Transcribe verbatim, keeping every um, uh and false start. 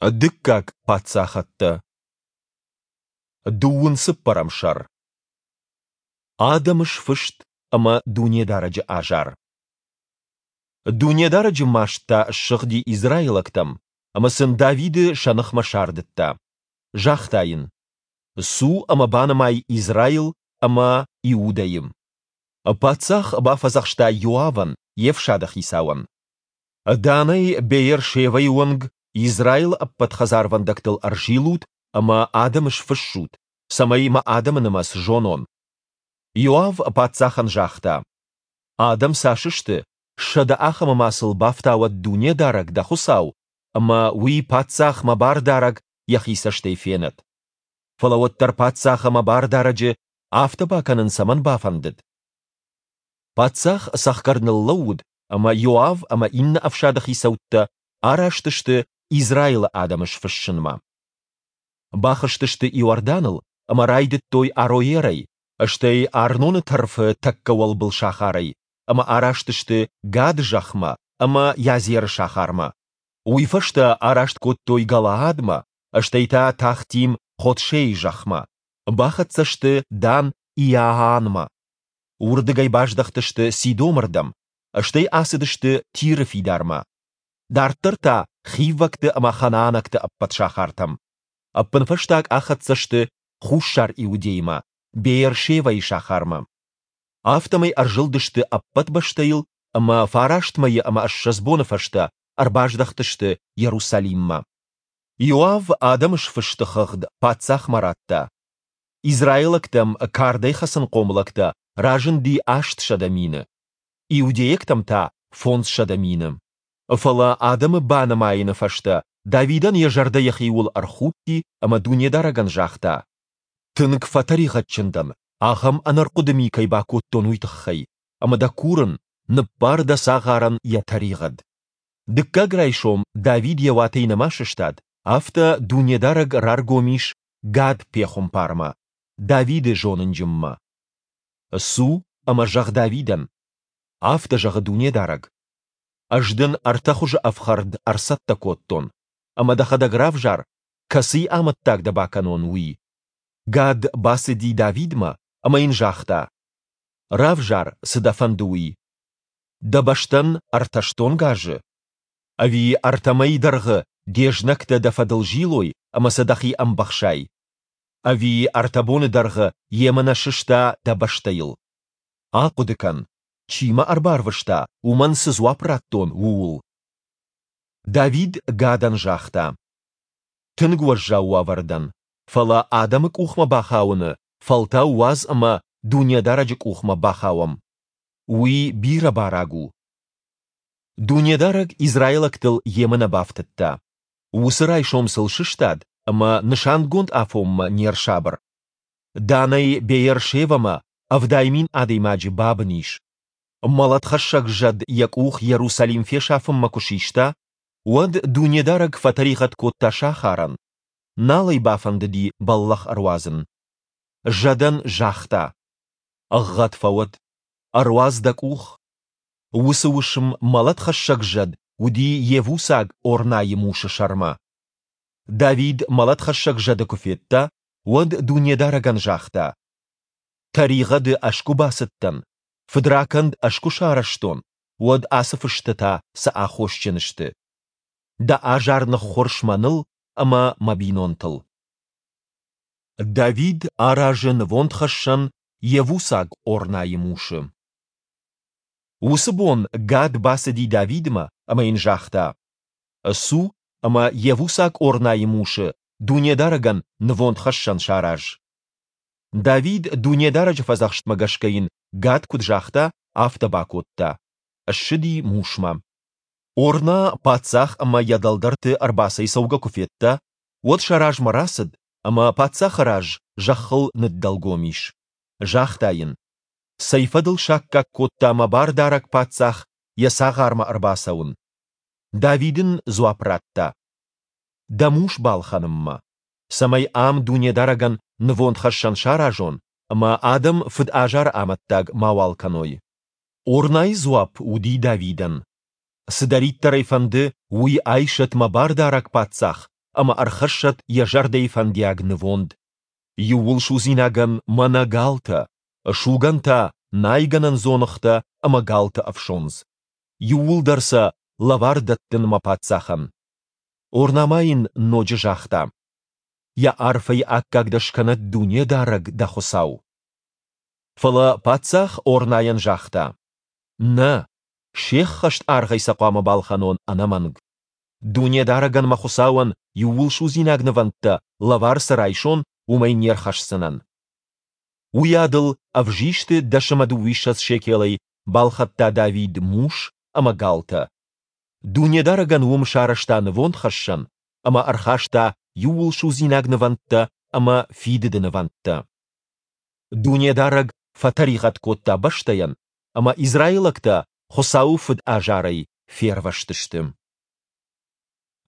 Дыккаг паддзахӕдтӕ. Дыууын цыппӕрӕм сӕр. Адӕмы сфыст ӕмӕ Дунедарӕджы азар. Дунедарӕджы маст та ссыгъди израилӕгтӕм, ӕмӕ сын Давиды сӕ ныхмӕ сардыдта. Загъта йын: Цу ӕмӕ банымай Израил ӕмӕ Иудӕйы. Паддзах бафӕдзӕхста Йоавӕн, йе фсады хицауӕн: Данӕй Беер-Шевӕйы онг Израилы ӕппӕт хӕдзарвӕндӕгтыл ӕрзилут ӕмӕ адӕмы сфыссут, цӕмӕй мӕ адӕмы нымӕц зонон. Иоав паддзахӕн загъта: Адӕм цас сты, сӕдӕ ахӕмы ма сыл бафтауӕд Дунедарӕг, дӕ Хуыцау, ӕмӕ уый паддзах мӕ бардарӕг йӕхи цӕстӕй фенӕд. Фӕлӕ уӕддӕр паддзахы мӕ бардарӕджы афтӕ бакӕнын цӕмӕн бафӕндыд? Паддзах цӕхгӕр ныллӕууыд, ӕмӕ Иоав ӕмӕ иннӕ ӕфсады хицӕуттӕ араст сты Израилы адӕмы сфыссынмӕ. Бахызтысты Иорданыл ӕмӕ райдыдтой Ароерӕй, стӕй Арноны тӕрфы тӕккӕ уӕлбыл сахарӕй, ӕмӕ араст сты Гады зӕхмӕ ӕмӕ Иазеры сахармӕ. Уый фӕстӕ араст кодтой Галаадмӕ, стӕй та Тахтим-Ходшейы зӕхмӕ. Бахӕццӕ сты Дан-Иаанмӕ. Уырдыгӕй баздӕхтысты Сидомы рдӕм, стӕй ацыдысты Тиры фидармӕ. Дарддӕр та хиввӕгты ӕмӕ ханаанӕгты ӕппӕт сахартӕм. Ӕппынфӕстаг ахӕццӕ сты Хуссар Иудеймӕ, Беер-Шевӕйы сахармӕ. Афтӕмӕй ӕрзылдысты ӕппӕт бӕстӕйыл ӕмӕ фараст мӕйы ӕмӕ ссӕдз боны фӕстӕ ӕрбаздӕхтысты Иерусалиммӕ. Иоав адӕмы сфысты хыгъд паддзахмӕ радта. Израилӕгтӕм кардӕй хӕцынхъом лӕгтӕ разынди астсӕдӕ мины, иудейӕгтӕм та фондзсӕдӕ мины. Фӕлӕ адӕмы банымайыны фӕстӕ Давидӕн йӕ зӕрдӕ йӕхиуыл ӕрхудти ӕмӕ Дунедарӕгӕн загъта: Тынг фӕтӕригъӕдджын дӕн, ахӕм ӕнӕрхъуыды ми кӕй бакодтон, уый тыххӕй, ӕмӕ дӕ курын, ныббар дӕ цагъарӕн йӕ тӕригъӕд. Дыккаг райсом Давид йӕ уатӕй нӕма сыстад, афтӕ Дунедарӕг раргом ис Гад-пехуымпармӕ, Давиды зонынджынмӕ. Цу ӕмӕ зӕгъ Давидӕн: Афтӕ зӕгъы Дунедарӕг: Ӕз дын ӕртӕ хуызы ӕфхӕрд ӕрцӕттӕ кодтон, ӕмӕ дӕхӕдӕг равзар, кӕцыйы амӕттаг дӕ бакӕнон, уый. Гад бацыди Давидмӕ ӕмӕ йын загъта: Равзар, цы дӕ фӕнды, уый. Дӕ бӕстӕн ӕртӕ стонг азы? Ӕви ӕртӕ мӕйы дӕргъы де знӕгтӕ дӕ фӕдыл зилой ӕмӕ сӕ дӕхи ӕмбӕхсай? Ӕви ӕртӕ боны дӕргъы емынӕ сыста дӕ бӕстӕйыл? Ахъуыды кӕн, чи мӕ ӕрбарвыста, уымӕн цы дзуапп радтон, ууыл. Давид Гадӕн загъта: Тынг уӕззау уавӕры дӕн, фӕлӕ адӕмы къухмӕ бахауыны фӕлтау уадз ӕмӕ Дунедарӕджы къухмӕ бахауӕм. Уый бирӕ бараг у. Дунедарӕг израилӕгтыл емынӕ бафтыдта. Уыцы райсом сыл сыстад ӕмӕ нысангонд афонмӕ не рсабыр. Данӕй Беер-Шевӕмӕ ӕвдай мин адӕймаджы бабын ис. Мӕлӕтхӕссӕг зӕд йӕ къух Иерусалим фесафынмӕ куы систа, уӕд Дунедарӕг фӕтӕригъӕд кодта сахарӕн, нал ӕй бафӕндыди бӕллӕх ӕруадзын. Зӕдӕн загъта: Ӕгъгъӕд фӕуӕд, ӕруадз дӕ къух. Уыцы уысм мӕлӕтхӕссӕг зӕд уыди йевусаг Орнайы мусы сӕрмӕ. Давид мӕлӕтхӕссӕг зӕды куы федта, уӕд Дунедарӕгӕн загъта: Тӕригъӕды ӕз куы бацыдтӕн, фыдракӕнд ӕз куы сарӕзтон, уӕд ацы фыстӕ та цы аххосджын сты? Дӕ азар ныххуырс мӕныл ӕмӕ мӕ бинонтыл. Давид аразы нывондхӕссӕн йевусаг Орнайы мусы. Уыцы бон Гад бацыди Давидмӕ ӕмӕ йын загъта: Цу ӕмӕ йевусаг Орнайы мусы Дунедарӕгӕн нывондхӕссӕн сараз. Давид Дунедарӕджы фӕдзӕхстмӕ гӕсгӕ йын Гад куыд загъта, афтӕ бакодта. Ссыди мусмӕ. Орна паддзах ӕмӕ йӕ дӕлдӕрты ӕрбацӕйцӕугӕ куы федта, уӕд сӕ размӕ рацыд ӕмӕ паддзахы раз зӕххыл ныддӕлгом ис. Загъта йын: Цӕй фӕдыл саккаг кодта мӕ бардарӕг паддзах йӕ цагъармӕ ӕрбацӕуын? Давид ын дзуапп радта: Дӕ мус балхӕнынмӕ, цӕмӕй ам Дунедарӕгӕн нывондхӕссӕн саразон ӕмӕ адӕм фыд азары амӕттаг мауал кӕной. Орнайы дзуапп уыди Давидӕн: Цыдӕриддӕр ӕй фӕнды, уый айсӕд мӕ бардарӕг паддзах, ӕмӕ ӕрхӕссӕд йӕ зӕрдӕйы фӕндиаг нывонд. Иууылсудзинагӕн мӕнӕ галтӕ, сугӕн та найгӕнӕн дзоныгътӕ ӕмӕ галты ӕфсондз. Иууылдӕр сӕ лӕвар дӕттын мӕ паддзахӕн. Орна ма йын ноджы загъта: Йӕ арфӕйы аккаг дӕ скӕнӕд Дунедарӕг, дӕ Хуыцау! Фӕлӕ паддзах Орнайӕн загъта: Нӕ, се ххӕст аргъӕй сӕ хъуамӕ балхӕнон ӕнӕмӕнг. Дунедарӕгӕн мӕ Хуыцауӕн иууылсудзинаг нывӕндтӕ лӕвар цы райсон, уымӕй не рхӕсдзынӕн. Уыйадыл ӕвзисты дӕс ӕмӕ дыууиссӕдз шекелӕй балхӕдта Давид мус ӕмӕ галтӕ. Дунедарӕгӕн уым сарӕзта нывондхӕссӕн ӕмӕ ӕрхаста иууылсудзинаг нывӕндтӕ ӕмӕ фидыды нывӕндтӕ. Дунедарӕг фӕтӕригъӕд кодта бӕстӕйӕн, ӕмӕ израилӕгтӕ Хуыцауы фыд азарӕй фервӕзтысты.